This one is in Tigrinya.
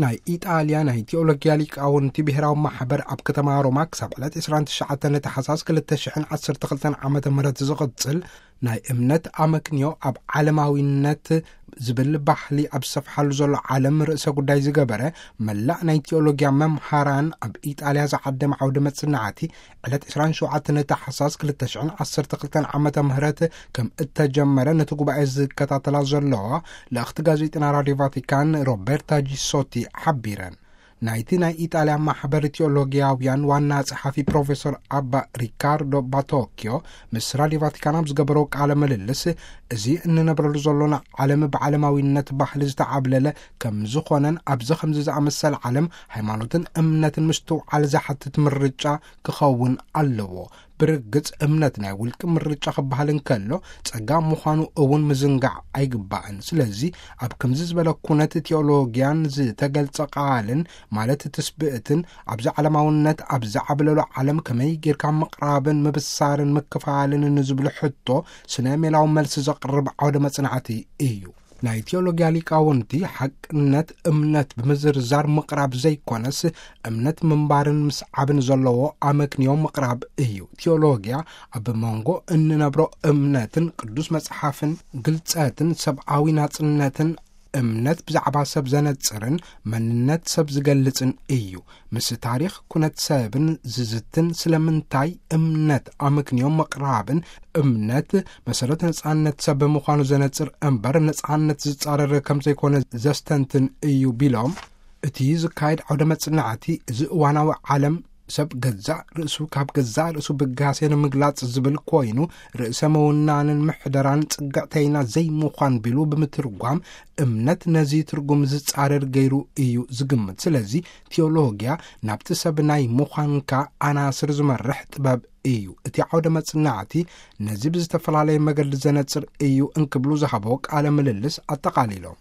ናይ ኢጣልያ ናይ ቲኦሎጊያ ሊቃውንቲ ብሔራዊ ማሕበር ኣብ ከተማ ሮማ ክሳብ ዕለት ዕስራን ትሽዓተን ታሕሳስ ክልተ ሽሕን ዓሰርተ ክልተን ዓመተ ምህረት ዝቕጽል ናይ እምነት ኣመክንዮ ኣብ ዓለማዊነት ዝብል ባህሊ ኣብ ዝሰፍሓሉ ዘሎ ዓለም ርእሰ ጉዳይ ዝገበረ መላእ ናይ ቲኦሎጊያ መምሃራን ኣብ ኢጣልያ ዝዓደመ ዓውደ መጽናዕቲ ዕለት ዕስራን ሸውዓተን ታሕሳስ ክልተ ሽሕን ዓሰርተ ክልተን ዓመተ ምህረት ከም እተጀመረ ነቲ ጉባኤ ዝከታተላ ዘለዋ ልእኽቲ ጋዜጠና ራድዮ ቫቲካን ሮቤርታ ጂሶቲ ሓቢረን። ናይቲ ናይ ኢጣልያ ማሕበር ቲኦሎጊያውያን ዋና ጸሓፊ ፕሮፌሰር ኣባ ሪካርዶ ባቶኪዮ ምስ ራድዮ ቫቲካን ኣብ ዝገበሮ ቃለ ምልልስ፣ እዚ እንነብረሉ ዘሎና ዓለም ብዓለማዊነት ባህሊ ዝተዓብለለ ከም ዝኾነን ኣብዚ ከምዚ ዝኣመሰለ ዓለም ሃይማኖትን እምነትን ምስትውዓል ዝሓትት ምርጫ ክኸውን ኣለዎ። ብርግጽ እምነት ናይ ውልቂ ምርጫ ክበሃል እንከሎ ጸጋ ምዃኑ እውን ምዝንጋዕ ኣይግባእን። ስለዚ ኣብ ከምዚ ዝበለ ኩነት ቲኦሎጊያን ዝተገልጸ ቃልን ማለት ትስብእትን ኣብዚ ዓለማውነት ኣብ ዝዓብለሎ ዓለም ከመይ ጌርካ ምቕራብን ምብሳርን ምክፋልን ንዝብሉ ሕቶ ስነ ሜላዊ መልሲ ዘቕርብ ዓውደ መጽናዕቲ እዩ። ናይ ቲኦሎጊያ ሊቃውንቲ ሓቅነት እምነት ብምዝርዛር ምቕራብ ዘይኮነስ እምነት ምንባርን ምስዓብን ዘለዎ ኣመክንዮ ምቕራብ እዩ። ቲኦሎጊያ ኣብ መንጎ እንነብሮ እምነትን ቅዱስ መጽሓፍን ግልጸትን ሰብኣዊ ናጽነትን እምነት ብዛዕባ ሰብ ዘነጽርን መንነት ሰብ ዝገልጽን እዩ። ምስ ታሪኽ ኩነት ሰብን ዝዝትን ስለምንታይ እምነት ኣመክንዮ ምቕራብን እምነት መሰረት ነጻነት ሰብ ብምዃኑ ዘነጽር እምበር ነጻነት ዝጻረር ከም ዘይኮነ ዘስተንትን እዩ ቢሎም፣ እቲ ዝካየድ ዓውደ መጽናዕቲ እዚ እዋናዊ ዓለም ሰብ ገዛእ ርእሱ ካብ ገዛእ ርእሱ ብጋሴ ንምግላጽ ዝብል ኮይኑ ርእሰ ምውናንን ምሕደራን ጽግዕተይና ዘይምዃን ቢሉ ብምትርጓም እምነት ነዚ ትርጉም ዝጻረር ገይሩ እዩ ዝግምት። ስለዚ ቲዮሎጊያ ናብቲ ሰብ ናይ ምዃንካ ኣናስር ዝመርሕ ጥበብ እዩ። እቲ ዓውደ መጽናዕቲ ነዚ ብዝተፈላለየ መገዲ ዘነጽር እዩ እንክብሉ ዝሃቦ ቃለ ምልልስ ኣጠቓሊሎም።